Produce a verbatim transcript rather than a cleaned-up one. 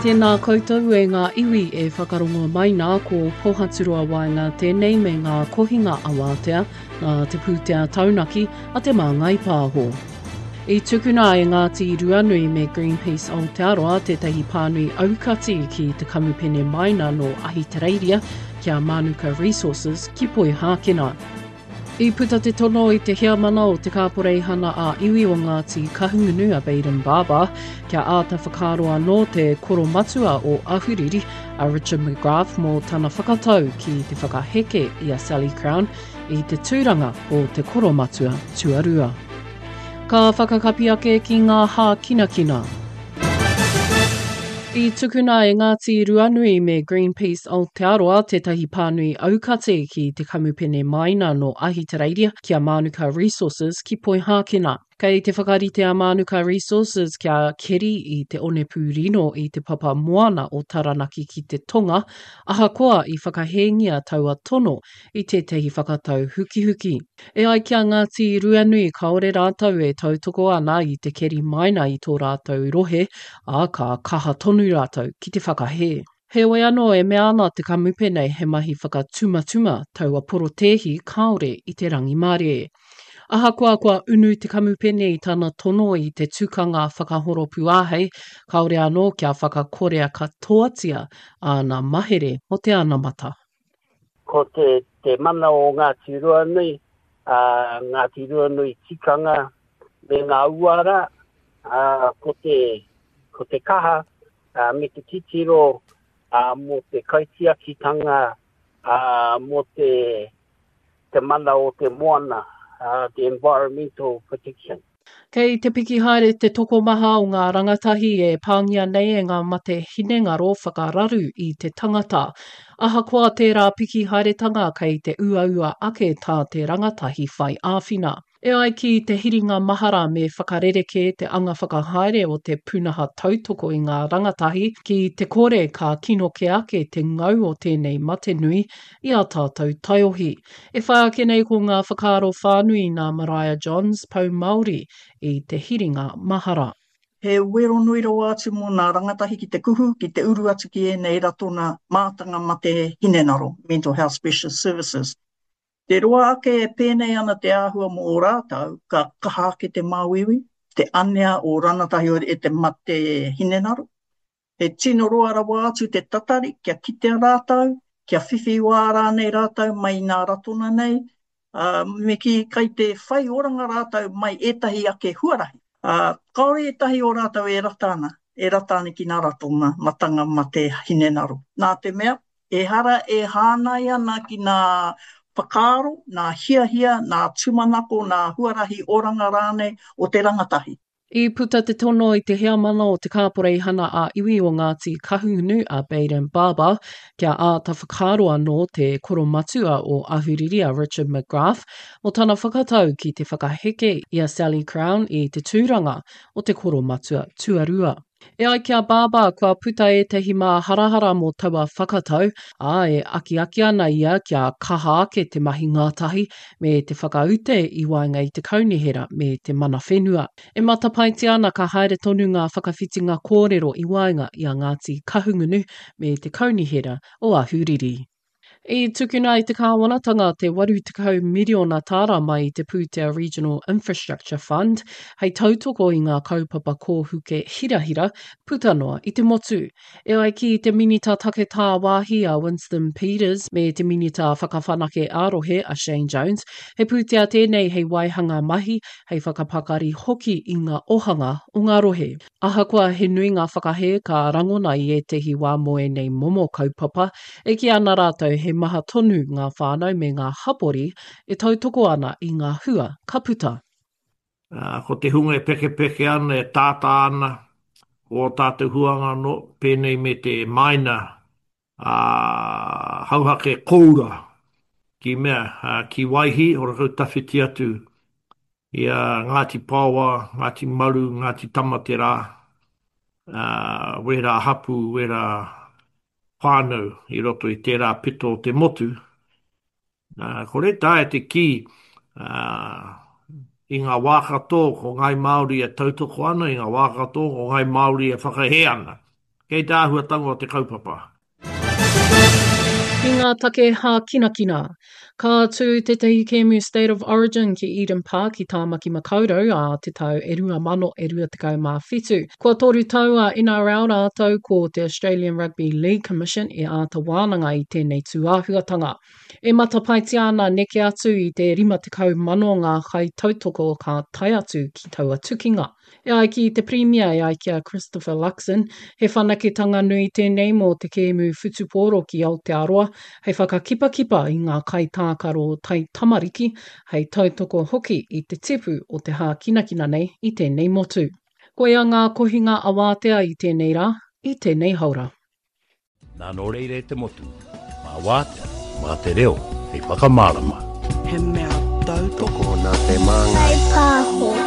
Tēnā koutou e ngā iwi e whakarongo mai nā ko Pohaturoa Waenga tēnei me ngā kohinga awātea nā te pūtea taunaki a Te Māngai Pāho. I tukuna e Ngāti Ruanui me Greenpeace Aotearoa tētahi pānui aukati ki te kamupene maina nō Ahitereiria ki a Mānuka Resources ki Poihākena. I puta te tono i te heamana o te Kāporeihana a iwi o Ngāti Kahungunu a Bayden Barber kia āta whakaaro anō te koromatua o Ahuriri a Richard McGrath mō tana whakatau ki te whakaheke i a Sally Crown i te tūranga o te koromatua tuarua. Ka whakakapi ake ki ngā hākinakina. I tukuna e Ngāti Ruanui me Greenpeace Aotearoa tētahi pānui aukati ki te kamupene maina nō Ahitereiria ki a Mānuka Resources ki Poihākena. Kei te whakarite a Mānuka Resources kia keri i te onepū rino i te papa moana o Taranaki ki te tonga, ahakoa i whakahēngia taua tono i tētahi whakatau hukihuki. E ai ki a Ngāti Ruanui kāore rātou e tautoko ana i te keri maina i tō rātou rohe, ā, ka kaha tonu rātou ki te whakahē. Heoi anō e mea ana te kamupene he mahi whakatumatuma taua porotēhi kāore i te rangimārie. Ahakoa kua unu te kamupene i tana tono i te tukanga whakahoropu āhei, kāore anō kia whakakorea katoatia āna mahere mō te anamata. Ko te, te mana o Ngāti Ruanui, ā, Ngāti Ruanui tikanga me ngā uara, ā, ko te, ko te kaha ā, me te titiro ā, mō te kaitiakitanga, ā, mō te, te mana o te moana, ā, the environmental protection. Kei te piki haere te tokomaha o ngā rangatahi e pāngia nei e ngā mate hinengaro whakararu i te tangata. Ahakoa tērā piki haeretanga kei te uaua ake tā te rangatahi whai āwhina. E ai ki te hiringa mahara me whakarerekē te anga whakahaere o te pūnaha tautoko i ngā rangatahi ki te kore ka kino kē ake te ngau o tēnei mate nui i ā tātou taiohi. E whai ake nei ko ngā whakaaro whānui nā Maraea Johns, Pou Māori, i te hiringa mahara. He wero nui rawa atu mō nā rangatahi ki te kuhu, ki te uru atu ki ēnei ratona mātanga mate hinengaro, Mental Health Specialist Services. Te roa ake e pēnei ana te āhua mō ō rātou, ka kaha ake te māuiui, te anea o ranatahi e te mate hinengaro. He tino roa rawa atu te tatari kia kitea rātou, kia whiwhi wā rānei rātou mai i nā ratona nei, ā, me kī kai te whai oranga rātou mai ētahi ake huarahi. Ā, kāore ētahi o rātou e rata ana, e rata ana ki nā ratonga matanga mate hinengaro. Nā te mea, ehara e hāngai ana ki nā whakaaro, nā hiahia, nā tūmanako, nā huarahi oranga rānei o te rangatahi. I puta te tono i te heamana o te Kāporeihana ā-Iwi o Ngāti Kahungunu a Bayden Barber kia āta whakaaro anō te koromatua o Ahuriri a Richard McGrath mō tana whakatau ki te whakaheke i a Sally Crown i te tūranga o te koromatua tuarua. E ai ki a Barber, kua puta ētahi māharahara mō taua whakatau, ā, e akiaki ana ia kia kaha ake te mahi ngātahi me te whakaute i waenga i te kaunihera me te mana whenua. E matapaetia ana ka haere tonu ngā whakawhitinga kōrero i waenga i a Ngāti Kahungunu me te kaunihera o Ahuriri. I tukuna e te kāwanatanga te waru tekau miriona tāra mai i te pūtea Regional Infrastructure Fund hei tautoko i ngā kaupapa kōhuke hirahira puta noa i te motu. E ai ki te Minita Take Tāwāhi a Winston Peters me te Minita Whakawhanake ā-Rohe a Shane Jones, he pūtea tēnei hei waihanga mahi, hei whakapakari hoki i ngā ohanga o ngā rohe. Ahakoa he nui ngā whakahē ka rangona i ētehi wā mō ēnei momo kaupapa, e kī ana rātou he maha tonu ngā whānau me ngā hapori e tautoko ana i ngā hua ka puta. Ā, ko te hunga e pekepeke ana, e tātā ana, ko ō tātou huanga anō, pēnei me te maina, ā, hauhake kōura, ki mea, ā, ki Waihī, Ōrākau Tawhiti atu, i a Ngāti Paoa, Ngāti Maru, Ngāti Tamaterā, ā, wērā hapū, wērā whānau i roto i tērā pito o te motu. Ā, kore taea te kī, ā, i ngā wā katoa ko Ngāi Māori e tautoko ana, i ngā wā katoa ko Ngāi Māori e whakahē ana. Kei te āhuatanga o te kaupapa. Ki ngā take hākinakina. Ka tū tētahi kēmu State of Origin ki Eden Park i Tāmaki Makaurau ā te tau e rua mano e rua tekau mā whitu. Kua toru tau a N R L rātou ko te Australian Rugby League Commission e āta wānanga i tēnei tūāhuatanga. E matapaetia ana neke atu i te rima tekau mano ngā kaitautoko ka tae atu ki taua tukinga. E ai ki te Pirimia, e ai ki a Christopher Luxon, he whanaketanga nui tēnei mō te kēmu whutupōro ki Aotearoa, hei whakakipakipa i ngā kaitākaro taitamariki, hei tautoko hoki i te tipu o te hākinakina nei i tēnei motu. Koia ngā kohinga awātea i tēnei rā, i tēnei haora. Nā nō reira e te motu, mā wātea, mā te reo, hei whakamārama. He mea tautoko nā te māngai. Pāho.